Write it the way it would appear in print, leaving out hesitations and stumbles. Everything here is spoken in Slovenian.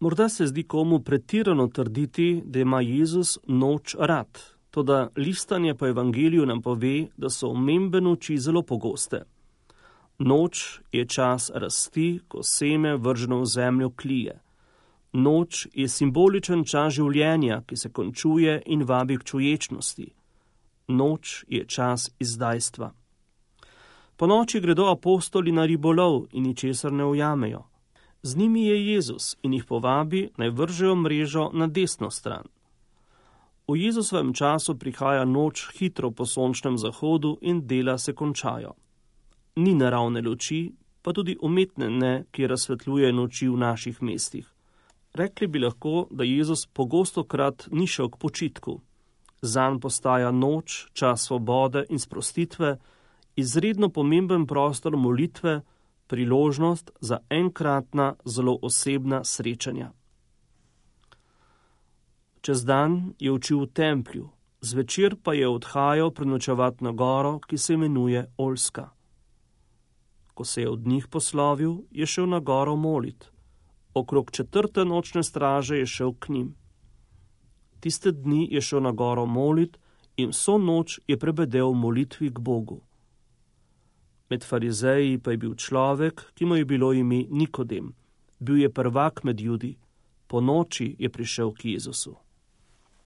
Morda se zdi komu pretirano trditi, da ima Jezus noč rad, toda listanje po evangeliju nam pove, da so omembe noči zelo pogoste. Noč je čas rasti, ko seme vrženo v zemljo klije. Noč je simboličen čas življenja, ki se končuje in vabi k čuječnosti. Noč je čas izdajstva. Po noči gredo apostoli na ribolov in ničesar ne ujamejo. Z njimi je Jezus in jih povabi, naj vržejo mrežo na desno stran. V Jezusovem času prihaja noč hitro po sončnem zahodu in dela se končajo. Ni naravne luči, pa tudi umetne ne, ki razsvetljuje noči v naših mestih. Rekli bi lahko, da Jezus pogostokrat ni šel k počitku. Zanj postaja noč, čas svobode in sprostitve, izredno pomemben prostor molitve, priložnost za enkratna, zelo osebna srečanja. Čez dan je učil v templju, zvečer pa je odhajal prenočevat na goro, ki se imenuje Oljska. Ko se je od njih poslovil, je šel na goro molit. Okrog 4. nočne straže je šel k njim. Tiste dni je šel na goro molit in vso noč je prebedel v molitvi k Bogu. Med farizeji pa je bil človek, ki mu je bilo ime Nikodem. Bil je prvak med Judi. Po noči je prišel k Jezusu.